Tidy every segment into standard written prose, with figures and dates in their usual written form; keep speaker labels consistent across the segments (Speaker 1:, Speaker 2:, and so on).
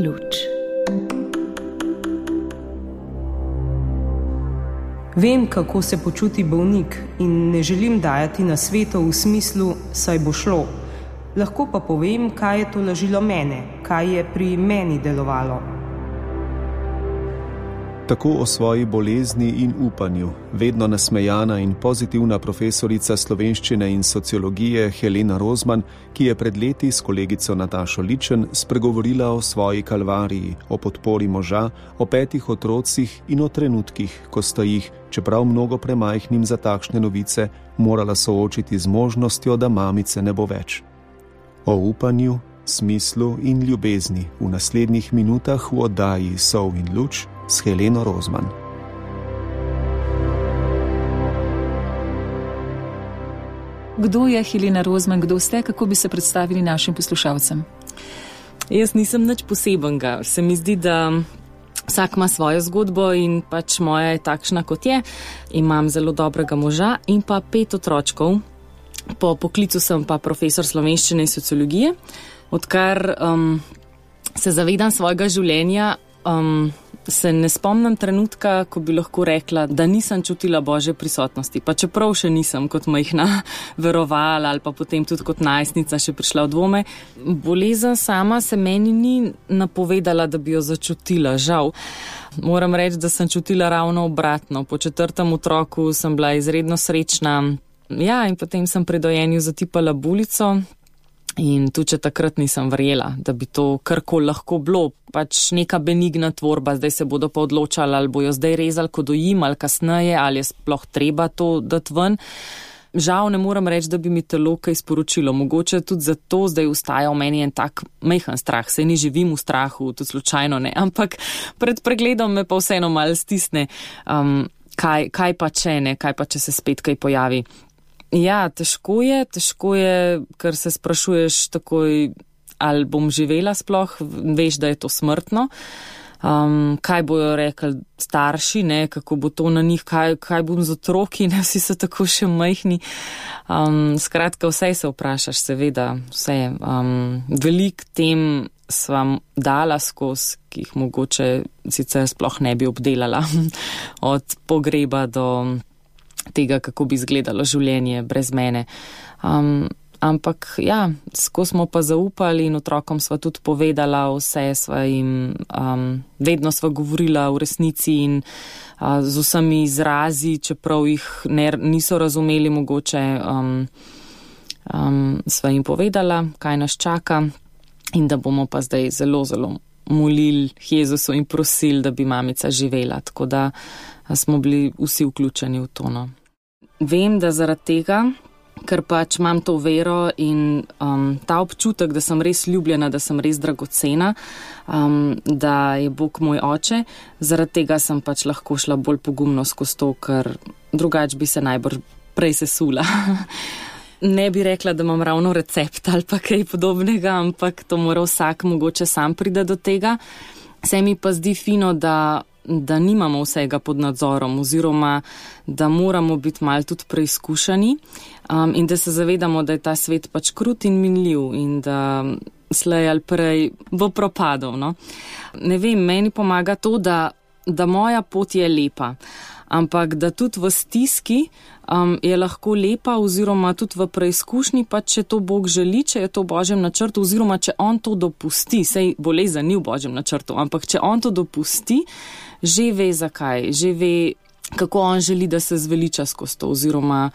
Speaker 1: luč.
Speaker 2: Vem, kako se počuti bolnik in ne želim dajati nasvetov v smislu, saj bo šlo. Lahko pa povem, kaj je to lažilo mene, kaj je pri meni delovalo.
Speaker 3: Tako o svoji bolezni in upanju vedno nasmejana in pozitivna profesorica slovenščine in sociologije Helena Rozman, ki je pred leti s kolegico Natašo Ličen spregovorila o svoji kalvariji, o podpori moža, o 5 otrocih in o trenutkih, ko sta jih, čeprav mnogo premajhnim za takšne novice, morala soočiti z možnostjo, da mamice ne bo več. O upanju, smislu in ljubezni v naslednjih minutah v oddaji Sol in luč s Heleno Rozman.
Speaker 4: Kdo je Helena Rozman, kdo ste, kako bi se predstavili našim poslušalcem?
Speaker 5: Jaz nisem nič posebenega. Se mi zdi, da vsak ima svojo zgodbo in pač moja je takšna, kot je. Imam zelo dobrega moža in pa 5 otročkov. Po poklicu sem pa profesor slovenščine in sociologije. Odkar se zavedam svojega življenja, se ne spomnim trenutka, ko bi lahko rekla, da nisem čutila Božje prisotnosti. Pa čeprav še nisem kot majhna verovala ali pa potem tudi kot najstnica še prišla v dvome. Bolezen sama se meni ni napovedala, da bi jo začutila, žal. Moram reči, da sem čutila ravno obratno. Po 4. otroku sem bila izredno srečna. Ja, in potem sem pri dojenju zatipala bulico. In tudi, če takrat nisem verjela, da bi to karkoli lahko bilo, pač neka benigna tvorba, zdaj se bodo pa odločali, ali bojo zdaj rezali, ko dojim, ali kasneje, ali je sploh treba to dati ven. Žal ne moram reči, da bi mi telo kaj sporočilo. Mogoče tudi zato zdaj ustaja v meni en tak majhen strah. Saj ni živim v strahu, tudi slučajno ne, ampak pred pregledom me pa vseeno malo stisne, kaj pa če ne, kaj pa če se spet kaj pojavi. Ja, težko je, ker se sprašuješ takoj, ali bom živela sploh, veš, da je to smrtno. Kaj bojo rekli starši, ne, kako bo to na njih, kaj bom z otroki, ne, vsi so tako še majhni. Skratka, vse se vprašaš, seveda, vse. Veliko tem svam dala skozi, ki jih mogoče sicer sploh ne bi obdelala, od pogreba do tega, kako bi izgledalo življenje brez mene. Ampak ja, skozi smo pa zaupali in otrokom sva tudi povedala vse, sva jim vedno sva govorila v resnici in z vsemi izrazi, čeprav jih niso razumeli mogoče, sva jim povedala, kaj nas čaka in da bomo pa zdaj zelo, zelo molili Jezusu in prosili, da bi mamica živela, tako da smo bili vsi vključeni v to. No. Vem, da zaradi tega, ker pač imam to vero in ta občutek, da sem res ljubljena, da sem res dragocena, da je Bog moj oče, zaradi tega sem pač lahko šla bolj pogumno skozi to, ker drugače bi se najbrž prej sesula. Ne bi rekla, da imam ravno recept ali pa kaj podobnega, ampak to mora vsak mogoče sam pride do tega. Se mi pa zdi fino, da nimamo vsega pod nadzorom oziroma da moramo biti malo tudi preizkušani in da se zavedamo, da je ta svet pač krut in minljiv in da slej ali prej bo propadal. No? Ne vem, meni pomaga to, da moja pot je lepa, ampak da tudi v stiski je lahko lepa oziroma tudi v preizkušnji, pa če to Bog želi, če je to v Božjem načrtu oziroma če on to dopusti, sej bolezen ni v Božjem načrtu, ampak če on to dopusti, že ve zakaj, že ve, kako on želi, da se zveliča skozi to oziroma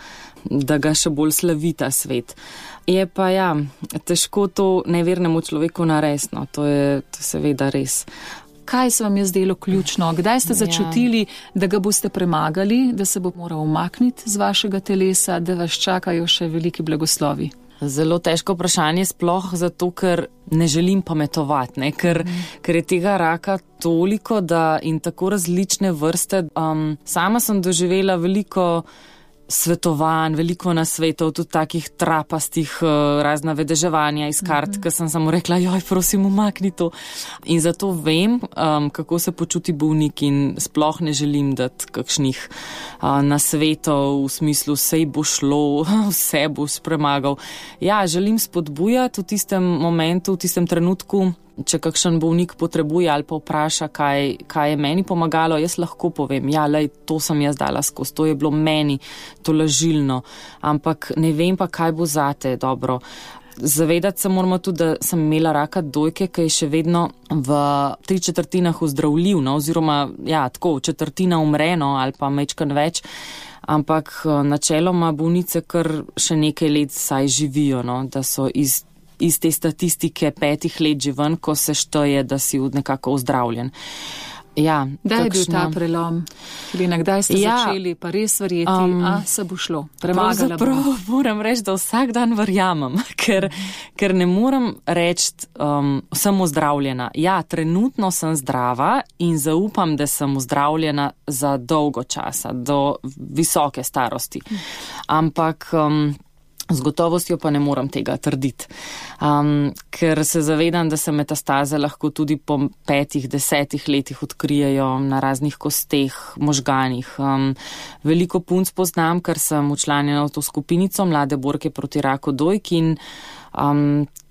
Speaker 5: da ga še bolj slavi ta svet. Je pa ja, težko to nevernemu človeku narediti, no, to je seveda res.
Speaker 4: Kaj se vam je zdelo ključno? Kdaj ste začutili, da ga boste premagali, da se bo moral umakniti z vašega telesa, da vas čakajo še veliki blagoslovi?
Speaker 5: Zelo težko vprašanje, sploh zato, ker ne želim pametovati, ne? Ker je tega raka toliko in tako različne vrste. Sama sem doživela veliko svetovanj, veliko nasvetov, tudi takih trapastih, razna vedeževanja iz kart, ker sem samo rekla, joj, prosim, umakni to. In zato vem, kako se počuti bolnik in sploh ne želim dati kakšnih nasvetov v smislu, sej bo šlo, vse boš premagal. Ja, želim spodbujati v tistem momentu, v tistem trenutku, če kakšen bolnik potrebuje ali pa vpraša, kaj je meni pomagalo, jaz lahko povem, ja, lej, to sem jaz dala skozi, to je bilo meni tolažilno, ampak ne vem pa, kaj bo zate dobro. Zavedati se moramo tudi, da sem imela raka dojke, ki je še vedno v 3/4 ozdravljiv, no, oziroma, ja, tako, 1/4 umre, no, ali pa majčkeno več, ampak načeloma bolnice kar še nekaj let saj živijo, no, da so iz te statistike 5 let že ven, ko se šteje, da si nekako ozdravljen. Ja,
Speaker 4: da je bil ta prelom. Helena, kdaj ste začeli pa res verjeti, se bo šlo? Premagala bo.
Speaker 5: Moram reči, da vsak dan verjamem, ker ne morem reči, sem ozdravljena. Ja, trenutno sem zdrava in zaupam, da sem ozdravljena za dolgo časa, do visoke starosti. Ampak z gotovostjo pa ne morem tega trditi, ker se zavedam, da se metastaze lahko tudi po 5-10 letih odkrijejo na raznih kosteh, možganih. Veliko punc poznam, ker sem včlanjena v to skupinico Mlade borke proti raku dojk in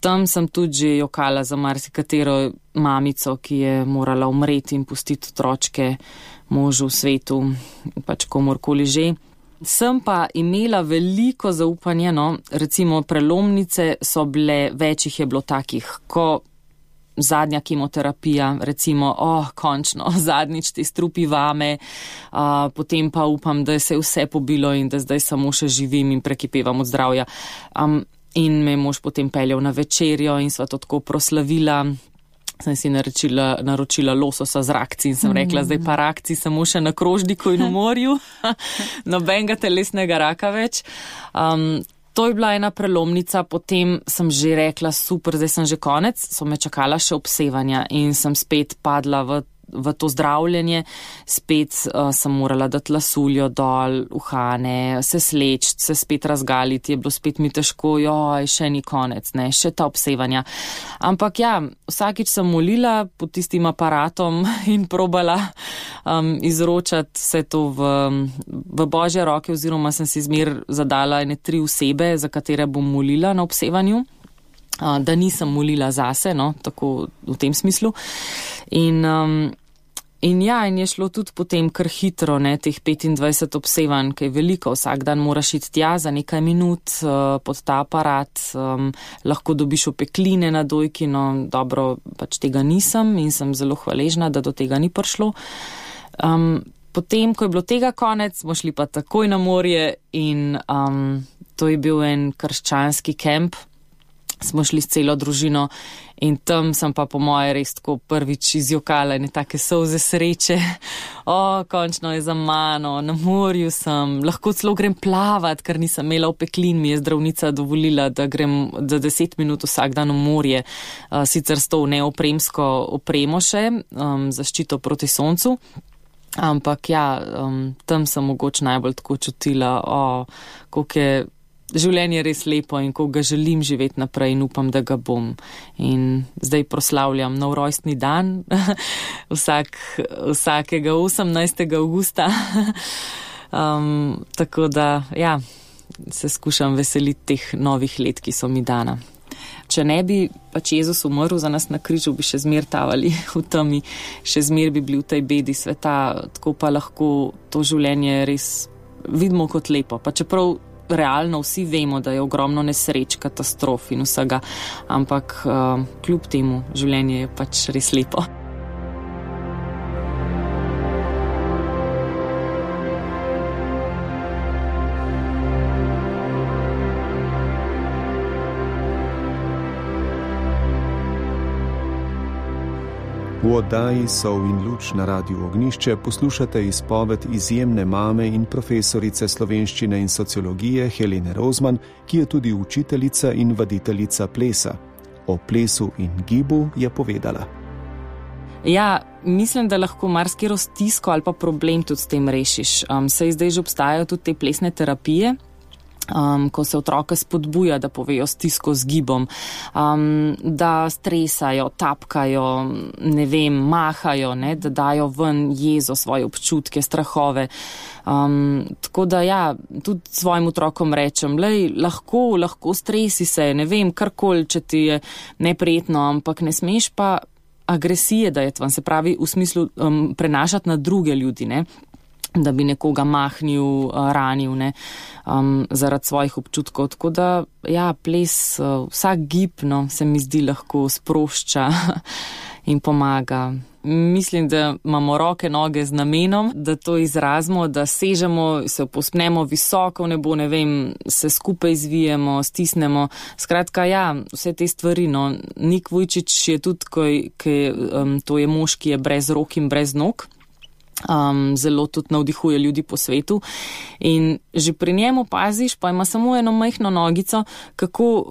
Speaker 5: tam sem tudi že jokala za marsikatero mamico, ki je morala umreti in pustiti otročke možu v svetu, pač komorkoli že. Sem pa imela veliko zaupanja, no, recimo prelomnice so bile, več jih je bilo takih, ko zadnja kemoterapija, recimo, končno, zadnjič te strupi vame, potem pa upam, da se je vse pobilo in da zdaj samo še živim in prekipevam od zdravja. In me je mož potem peljal na večerjo in sva to tako proslavila. Sem si naročila lososa z rakci in sem rekla, zdaj pa rakci samo še na krožniku in v morju, nobenega telesnega raka več. To je bila ena prelomnica, potem sem že rekla, super, zdaj sem že konec, so me čakala še obsevanja in sem spet padla v to zdravljenje, spet sem morala dati lasuljo dol, uhane, se sleči, se spet razgaliti, je bilo spet mi težko, še ni konec, ne, še ta obsevanja. Ampak ja, vsakič sem molila pod tistim aparatom in probala izročati vse to v Božje roke, oziroma sem si zmer zadala 3 osebe, za katere bom molila na obsevanju, da nisem molila zase, no, tako v tem smislu. In je šlo tudi potem kar hitro, ne, teh 25 obsevanj, ki je veliko, vsak dan moraš iti tja za nekaj minut pod ta aparat, lahko dobiš opekline na dojki, no, dobro, pač tega nisem in sem zelo hvaležna, da do tega ni prišlo. Potem, ko je bilo tega konec, smo šli pa takoj na morje in to je bil en krščanski kemp. Smo šli s celo družino in tam sem pa po moje res tako prvič izjokala in take solze sreče. Končno je za mano, na morju sem, lahko celo grem plavat, ker nisem imela opeklin, mi je zdravnica dovolila, da grem za 10 minut vsak dan v morje, sicer s to neopremsko opremo še, zaščito proti soncu. Ampak ja, tam sem mogoče najbolj tako čutila, koliko je življenje res lepo in ko ga želim živeti naprej in upam, da ga bom. In zdaj proslavljam nov rojstni dan, vsakega 18. augusta. Tako da, ja, se skušam veseliti teh novih let, ki so mi dana. Če ne bi pač Jezus umrl za nas na križu, bi še zmer tavali v temi, še zmer bi bili v tej bedi sveta, tako pa lahko to življenje res vidimo kot lepo. Pa čeprav realno vsi vemo, da je ogromno nesreč, katastrof in vsega, ampak kljub temu življenje je pač res lepo.
Speaker 3: V oddaji Sol in luč na Radiu Ognjišče poslušate izpoved izjemne mame in profesorice slovenščine in sociologije Helene Rozman, ki je tudi učiteljica in vaditeljica plesa. O plesu in gibu je povedala.
Speaker 5: Ja, mislim, da lahko marsikero stisko ali pa problem tudi s tem rešiš. Saj zdaj že obstajajo tudi te plesne terapije, ko se otroke spodbuja, da povejo stisko z gibom, da stresajo, tapkajo, mahajo, da dajo ven jezo, svoje občutke, strahove. Tako da tudi svojim otrokom rečem, lahko stresi se, karkoli, če ti je neprijetno, ampak ne smeš pa agresije dajati van, se pravi v smislu prenašati na druge ljudi, da bi nekoga mahnil, ranil, zaradi svojih občutkov. Tako da, ples, vsak gib, se mi zdi, lahko sprošča in pomaga. Mislim, da imamo roke, noge z namenom, da to izrazimo, da sežemo, se povzpnemo visoko v nebo, se skupaj zvijemo, stisnemo. Skratka, vse te stvari. Nik Vujčič je tudi, to je mož, ki je brez rok in brez nog. Zelo tudi navdihuje ljudi po svetu in že pri njemu paziš, pa ima samo eno majhno nogico,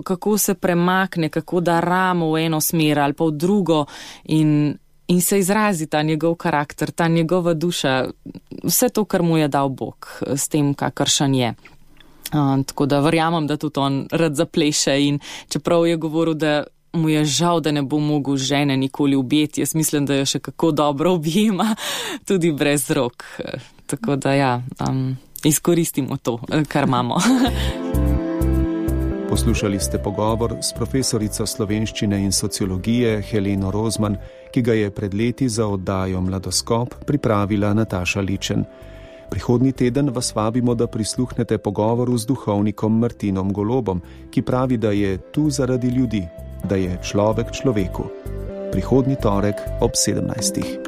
Speaker 5: kako se premakne, kako da ramo v eno smer ali pa v drugo in se izrazi ta njegov karakter, ta njegova duša, vse to, kar mu je dal Bog, s tem, kakršen je. Tako da verjamem, da tudi on rad zapleše in čeprav je govoril, da mu je žal, da ne bo mogel žene nikoli objeti. Jaz mislim, da jo še kako dobro objema, tudi brez rok. Tako da izkoristimo to, kar imamo.
Speaker 3: Poslušali ste pogovor s profesorico slovenščine in sociologije Heleno Rozman, ki ga je pred leti za oddajo Mladoskop pripravila Nataša Ličen. Prihodnji teden vas vabimo, da prisluhnete pogovoru z duhovnikom Martinom Golobom, ki pravi, da je tu zaradi ljudi, da je človek človeku. Prihodnji torek ob 17.